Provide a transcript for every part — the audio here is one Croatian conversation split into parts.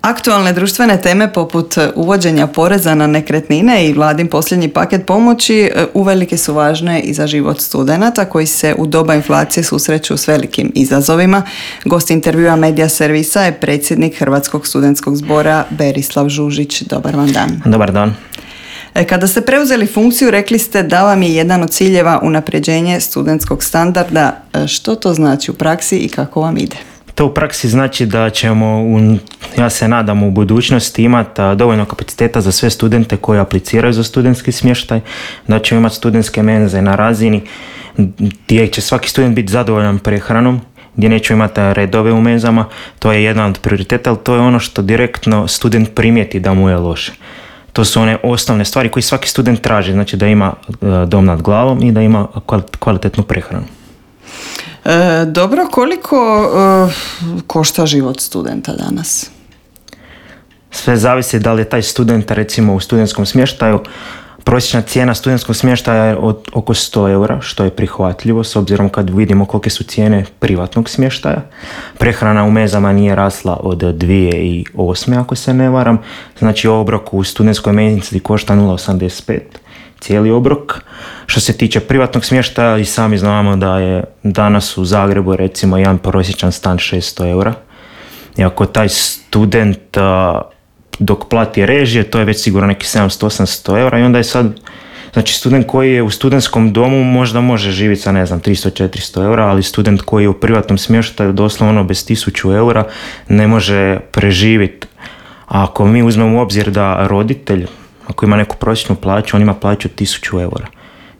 Aktualne društvene teme poput uvođenja poreza na nekretnine i vladin posljednji paket pomoći uvelike su važne i za život studenata koji se u doba inflacije susreću s velikim izazovima. Gost intervjua Medija servisa je predsjednik Hrvatskog studentskog zbora Berislav Žužić. Dobar vam dan. Dobar dan. Kada ste preuzeli funkciju, rekli ste da vam je jedan od ciljeva unapređenje studentskog standarda. Što to znači u praksi i kako vam ide? To u praksi znači da ćemo, ja se nadam, u budućnosti imati dovoljno kapaciteta za sve studente koji apliciraju za studentski smještaj, da ćemo imati studentske menze na razini gdje će svaki student biti zadovoljan prehranom, gdje nećemo imati redove u menzama. To je jedan od prioriteta, ali to je ono što direktno student primijeti da mu je loše. To su one osnovne stvari koje svaki student traži, znači da ima dom nad glavom i da ima kvalitetnu prehranu. Dobro, koliko košta život studenta danas? Sve zavisi da li je taj student recimo u studentskom smještaju. Prosječna cijena studentskog smještaja je od oko 100 eura, što je prihvatljivo s obzirom kad vidimo kolike su cijene privatnog smještaja. Prehrana u menzama nije rasla od 2008. ako se ne varam. Znači obrok u studentskoj menzi košta 0,85, cijeli obrok. Što se tiče privatnog smještaja, i sami znamo da je danas u Zagrebu recimo jedan prosječan stan 600 eura. I ako taj student dok plati režije, to je već sigurno neki 700-800 eura i onda je sad, znači student koji je u studentskom domu možda može živjeti sa 300-400 eura, ali student koji je u privatnom smještaju doslovno bez 1000 eura ne može preživjeti. A ako mi uzmemo u obzir da roditelj, ako ima neku prosječnu plaću, on ima plaću 1000 eura.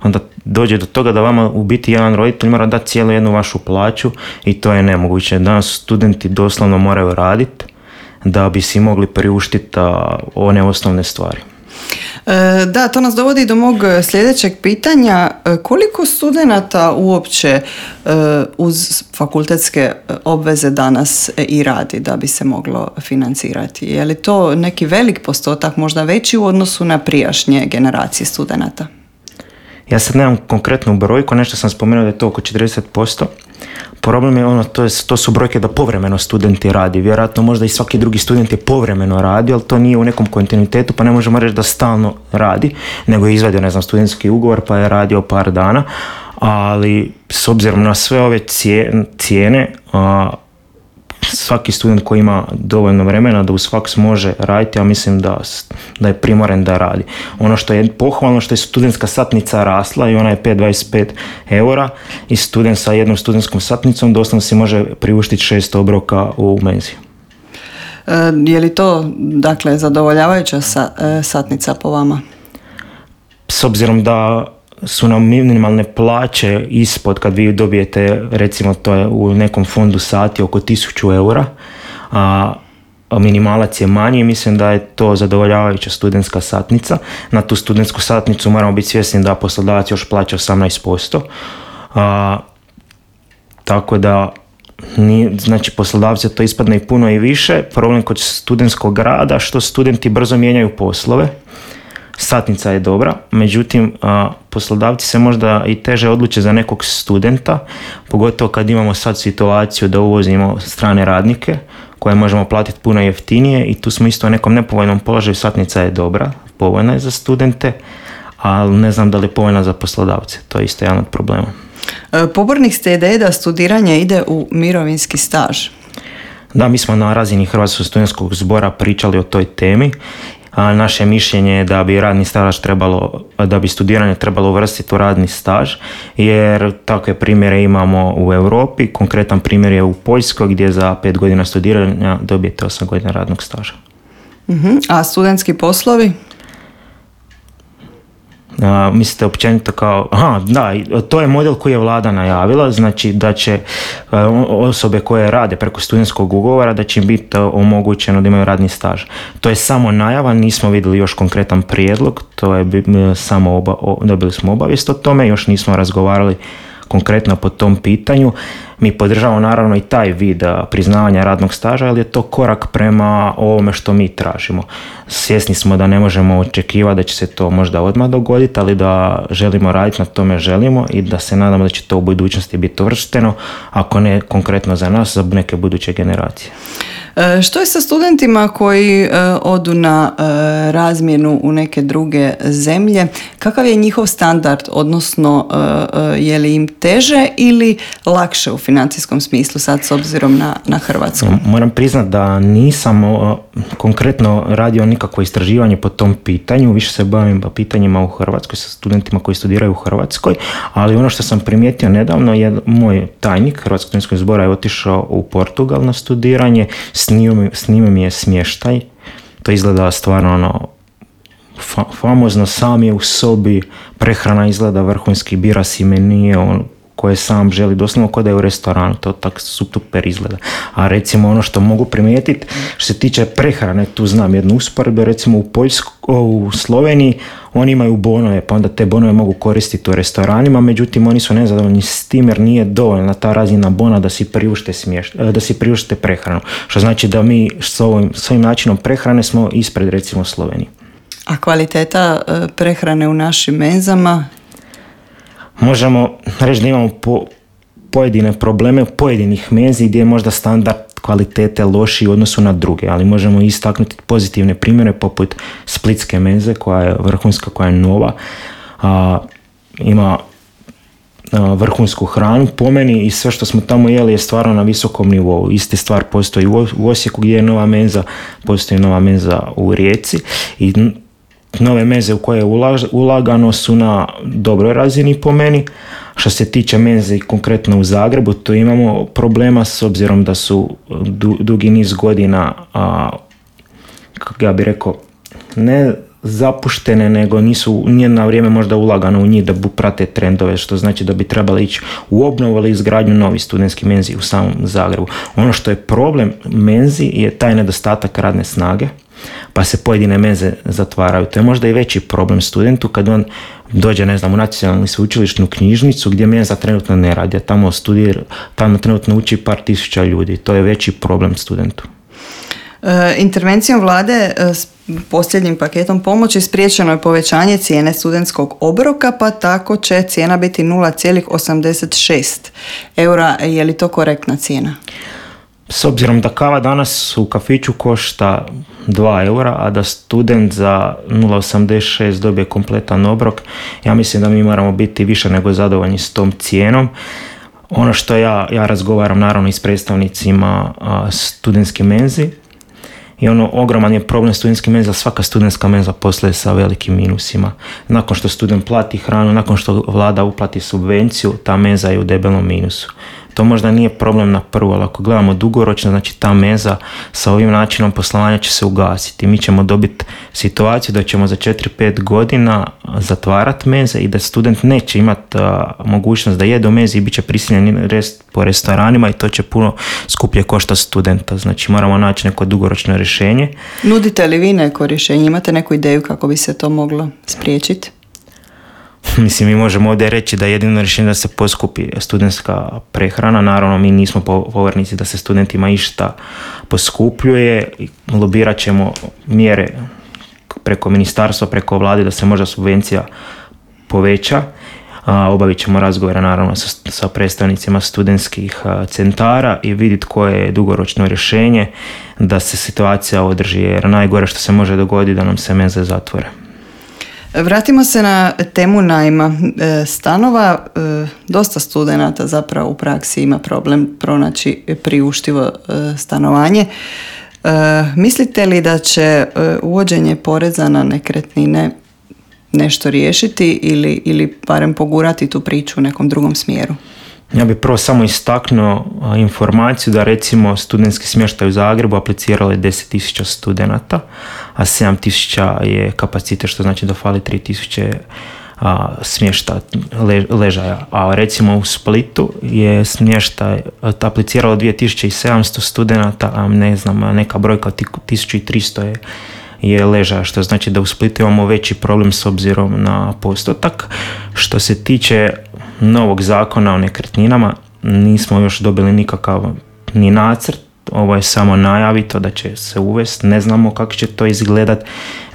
Onda dođe do toga da vama u biti jedan roditelj mora dati cijelu jednu vašu plaću i to je nemoguće. Danas studenti doslovno moraju raditi da bi si mogli priuštiti one osnovne stvari. Da, to nas dovodi do mog sljedećeg pitanja. Koliko studenata uopće uz fakultetske obveze danas i radi da bi se moglo financirati? Je li to neki velik postotak, možda veći u odnosu na prijašnje generacije studenata? Ja sad nemam konkretnu brojku, nešto sam spomenuo da je to oko 40%. Problem je to su brojke da povremeno studenti radi. Vjerojatno možda i svaki drugi student je povremeno radio, ali to nije u nekom kontinuitetu, pa ne možemo reći da stalno radi, nego je izvadio, studentski ugovor pa je radio par dana. Ali s obzirom na sve ove cijene, svaki student koji ima dovoljno vremena da uz faks može raditi, ja mislim da je primoren da radi. Ono što je pohvalno što je studentska satnica rasla i ona je 5,25 eura i student sa jednom studentskom satnicom doslovno si može priuštiti 600 obroka u menzi. Je li to dakle zadovoljavajuća satnica po vama? S obzirom da su nam minimalne plaće ispod, kad vi dobijete, recimo to je u nekom fondu sati oko 1000 eura, a minimalac je manji, mislim da je to zadovoljavajuća studentska satnica. Na tu studentsku satnicu moramo biti svjesni da poslodavac još plaća 18%. Tako da znači poslodavci to ispadne i puno i više. Problem kod studentskog rada što studenti brzo mijenjaju poslove. Satnica je dobra, međutim poslodavci se možda i teže odluče za nekog studenta, pogotovo kad imamo sad situaciju da uvozimo strane radnike koje možemo platiti puno jeftinije i tu smo isto u nekom nepovoljnom položaju. Satnica je dobra, povoljna je za studente, ali ne znam da li je povoljna za poslodavce, to je isto jedan od problema. Pobornik ste ideje da studiranje ide u mirovinski staž. Da, mi smo na razini Hrvatskog studentskog zbora pričali o toj temi. A naše mišljenje je da bi da bi studiranje trebalo uvrstiti u radni staž, jer takve primjere imamo u Europi. Konkretan primjer je u Poljskoj gdje za 5 godina studiranja dobijete 8 godina radnog staža. A studentski poslovi? Mislite općenito kao... Da, to je model koji je vlada najavila, znači da će osobe koje rade preko studentskog ugovora, da će im biti omogućeno da imaju radni staž. To je samo najava, nismo vidjeli još konkretan prijedlog, to je samo dobili smo obavijest o tome, još nismo razgovarali konkretno po tom pitanju. Mi podržavamo naravno i taj vid priznavanja radnog staža, ali je to korak prema ovome što mi tražimo. Svjesni smo da ne možemo očekivati da će se to možda odmah dogoditi, ali da želimo raditi na tome želimo i da se nadamo da će to u budućnosti biti uvršteno, ako ne konkretno za nas, za neke buduće generacije. Što je sa studentima koji odu na razmjenu u neke druge zemlje? Kakav je njihov standard, odnosno je li im teže ili lakše u financijskom smislu sad s obzirom na Hrvatsku? Moram priznati da nisam konkretno radio nikakvo istraživanje po tom pitanju, više se bavim pitanjima u Hrvatskoj sa studentima koji studiraju u Hrvatskoj, ali ono što sam primijetio nedavno je moj tajnik Hrvatskog studentskog zbora je otišao u Portugal na studiranje, s njime mi je smještaj, to izgleda stvarno famozno, sam je u sobi, prehrana izgleda vrhunski, bira si menije koje sam želi, doslovno kao da je u restoranu, to tako super izgleda. A recimo ono što mogu primijetiti, što se tiče prehrane, tu znam jednu usporedbu, recimo u Sloveniji oni imaju bonove, pa onda te bonove mogu koristiti u restoranima, međutim oni su nezadovoljni s tim jer nije dovoljna ta razina bona da si priušte prehranu. Što znači da mi s ovim načinom prehrane smo ispred recimo Sloveniji. A kvaliteta prehrane u našim menzama? Možemo reći da imamo pojedine probleme u pojedinih menzi gdje je možda standard kvalitete lošiji u odnosu na druge, ali možemo istaknuti pozitivne primjere poput splitske menze koja je vrhunska, koja je nova, ima vrhunsku hranu po meni i sve što smo tamo jeli je stvarno na visokom nivou. Iste stvar postoji u Osijeku gdje je nova menza, postoji nova menza u Rijeci i nove menze u koje je ulagano su na dobroj razini po meni. Što se tiče menze i konkretno u Zagrebu, tu imamo problema s obzirom da su dugi niz godina, kako ja bih rekao, ne zapuštene, nego nije na vrijeme možda ulagano u njih da prate trendove, što znači da bi trebali ići u obnovu ili izgradnju novih studentskih menzi u samom Zagrebu. Ono što je problem menzi je taj nedostatak radne snage, pa se pojedine menze zatvaraju. To je možda i veći problem studentu kad on dođe, ne znam, u nacionalnu sveučilišnu knjižnicu gdje menza trenutno ne radi, a tamo trenutno uči par tisuća ljudi. To je veći problem studentu. Intervencijom vlade s posljednjim paketom pomoći spriječeno je povećanje cijene studentskog obroka, pa tako će cijena biti 0,86 eura. Je li to korektna cijena? S obzirom da kava danas u kafiću košta 2 eura, a da student za 0,86 dobije kompletan obrok, ja mislim da mi moramo biti više nego zadovoljni s tom cijenom. Ono što ja razgovaram naravno i s predstavnicima studentske menzi, i ogroman je problem studentske menza, svaka studentska menza posluje sa velikim minusima. Nakon što student plati hranu, nakon što vlada uplati subvenciju, ta menza je u debelom minusu. To možda nije problem na prvu, ali ako gledamo dugoročno, znači ta menza sa ovim načinom poslovanja će se ugasiti. Mi ćemo dobiti situaciju da ćemo za 4-5 godina zatvarati menze i da student neće imati mogućnost da jede u menzi i bit će prisiljen rest po restoranima i to će puno skuplje košta studenta. Znači moramo naći neko dugoročno rješenje. Nudite li vi neko rješenje? Imate neku ideju kako bi se to moglo spriječiti? Mislim, mi možemo ovdje reći da je jedino rješenje da se poskupi studentska prehrana. Naravno, mi nismo pobornici da se studentima išta poskupljuje. Lobirat ćemo mjere preko ministarstva, preko vlade da se možda subvencija poveća. Obavit ćemo razgovore naravno sa predstavnicima studentskih centara i vidjeti koje je dugoročno rješenje da se situacija održi, jer najgore što se može dogoditi da nam se menze zatvore. Vratimo se na temu najma stanova. Dosta studenata zapravo u praksi ima problem pronaći priuštivo stanovanje. Mislite li da će uvođenje poreza na nekretnine nešto riješiti ili barem pogurati tu priču u nekom drugom smjeru? Ja bih prvo samo istaknuo informaciju da recimo studentski smještaj u Zagrebu apliciralo je 10.000 studenata, a 7.000 je kapacitet, što znači da fali 3.000 smješta ležaja. A recimo u Splitu je smještaj apliciralo 2.700 studenata, a ne znam, neka brojka od 1.300 je ležaja, što znači da u Splitu imamo veći problem s obzirom na postotak. Što se tiče novog zakona o nekretninama, nismo još dobili nikakav ni nacrt, ovo je samo najavito da će se uvesti, ne znamo kako će to izgledat.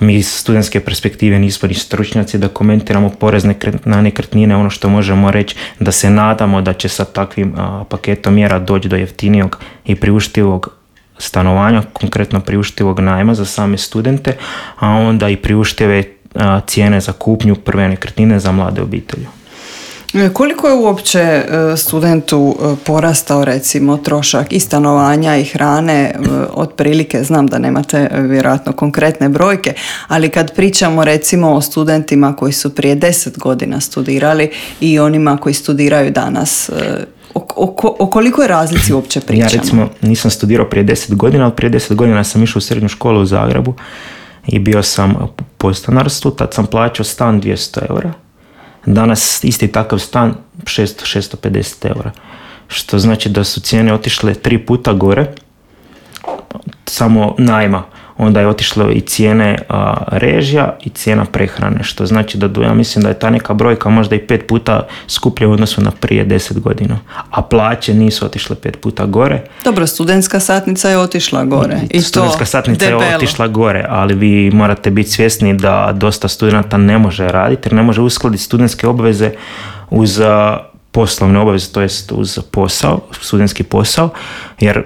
Mi iz studentske perspektive nismo ni stručnjaci da komentiramo porez na nekretnine. Ono što možemo reći da se nadamo da će sa takvim paketom mjera doći do jeftinijog i priuštivog stanovanja, konkretno priuštivog najma za same studente, a onda i priuštive cijene za kupnju prve nekretnine za mlade obitelji. Koliko je uopće studentu porastao recimo trošak i stanovanja i hrane, otprilike, znam da nemate vjerojatno konkretne brojke, ali kad pričamo recimo o studentima koji su prije 10 godina studirali i onima koji studiraju danas, o koliko je razlici uopće pričamo? Ja recimo nisam studirao prije 10 godina, ali prije 10 godina sam išao u srednju školu u Zagrebu i bio sam u podstanarstvu, tad sam plaćao stan 200 eura. Danas isti takav stan 650 eura. Što znači da su cijene otišle 3 puta gore, samo najma. Onda je otišlo i cijene režija i cijena prehrane. Što znači da ja mislim da je ta neka brojka možda i 5 puta skuplja u odnosu na prije 10 godina. A plaće nisu otišle 5 puta gore. Dobro, studentska satnica je otišla gore. I studentska to satnica debelo. je otišla gore, ali vi morate biti svjesni da dosta studenta ne može raditi jer ne može uskladiti studentske obveze uz poslovne obveze, to jest uz posao, studentski posao, jer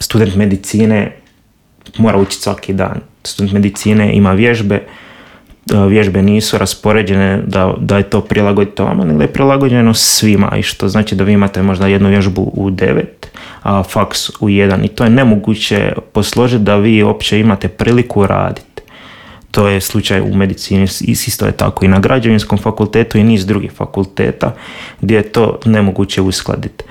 student medicine mora učiti svaki dan. Student medicine ima vježbe nisu raspoređene da je to prilagoditi vama, nego je prilagođeno svima, i što znači da vi imate možda jednu vježbu u 9, a faks u 1, i to je nemoguće posložiti da vi uopće imate priliku raditi. To je slučaj u medicini, isto je tako i na građevinskom fakultetu i niz drugih fakulteta gdje je to nemoguće uskladiti.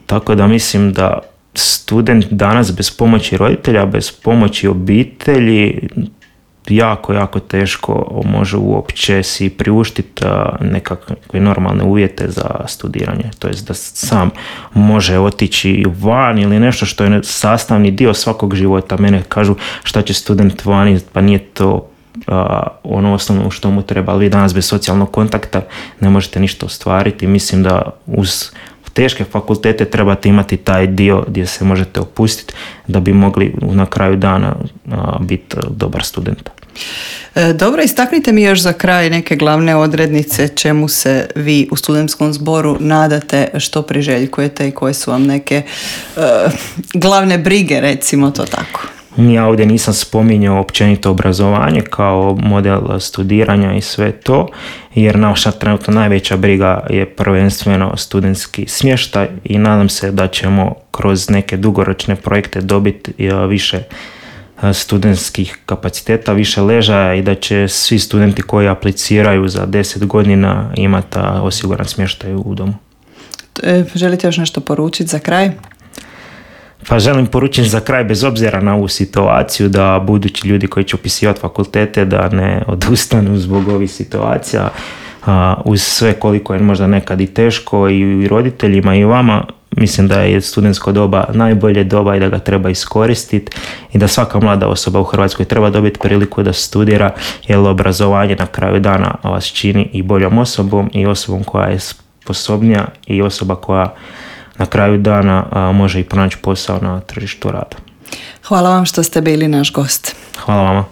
Tako da mislim da student danas bez pomoći roditelja, bez pomoći obitelji jako, jako teško može uopće si priuštiti nekakve normalne uvjete za studiranje. To jest da sam može otići van ili nešto što je sastavni dio svakog života. Mene kažu šta će student vani, pa nije to ono osnovno što mu treba, ali vi danas bez socijalnog kontakta ne možete ništa ostvariti. Mislim da uz teške fakultete trebate imati taj dio gdje se možete opustiti da bi mogli na kraju dana biti dobar student. Dobro, istaknite mi još za kraj neke glavne odrednice čemu se vi u studentskom zboru nadate, što priželjkujete i koje su vam neke glavne brige, recimo to tako. Ja ovdje nisam spominjao općenito obrazovanje kao model studiranja i sve to, jer naša trenutno najveća briga je prvenstveno studentski smještaj i nadam se da ćemo kroz neke dugoročne projekte dobiti više studentskih kapaciteta, više ležaja i da će svi studenti koji apliciraju za 10 godina imati osiguran smještaj u domu. Želite još nešto poručiti za kraj? Pa želim poručiti za kraj, bez obzira na ovu situaciju, da budući ljudi koji će upisivati fakultete da ne odustanu zbog ovih situacija, uz sve koliko je možda nekad i teško i roditeljima i vama. Mislim da je studentsko doba najbolje doba i da ga treba iskoristiti i da svaka mlada osoba u Hrvatskoj treba dobiti priliku da studira, jer obrazovanje na kraju dana vas čini i boljom osobom i osobom koja je sposobnija i osoba koja na kraju dana može i pronaći posao na tržištu rada. Hvala vam što ste bili naš gost. Hvala vama.